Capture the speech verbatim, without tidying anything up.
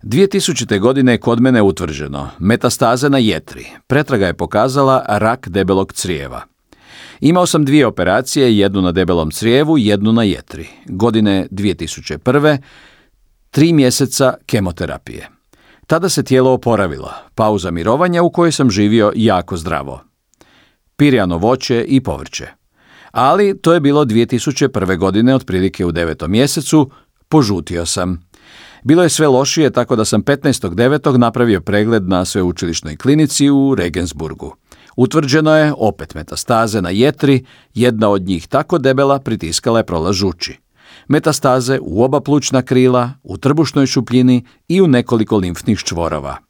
dvije tisućite. godine kod mene je utvrđeno metastaze na jetri. Pretraga je pokazala rak debelog crijeva. Imao sam dvije operacije, jednu na debelom crijevu, jednu na jetri. Godine dvije tisuće prve. Tri mjeseca kemoterapije. Tada se tijelo oporavilo, pauza mirovanja u kojoj sam živio jako zdravo. Pirjano voće i povrće. Ali to je bilo dvije tisuće prve. godine, otprilike u devetom mjesecu, požutio sam. Bilo je sve lošije, tako da sam petnaestog devetog napravio pregled na sveučilišnoj klinici u Regensburgu. Utvrđeno je opet metastaze na jetri, jedna od njih tako debela pritiskala je prolaz žuči. Metastaze u oba plućna krila, u trbušnoj šupljini i u nekoliko limfnih čvorova.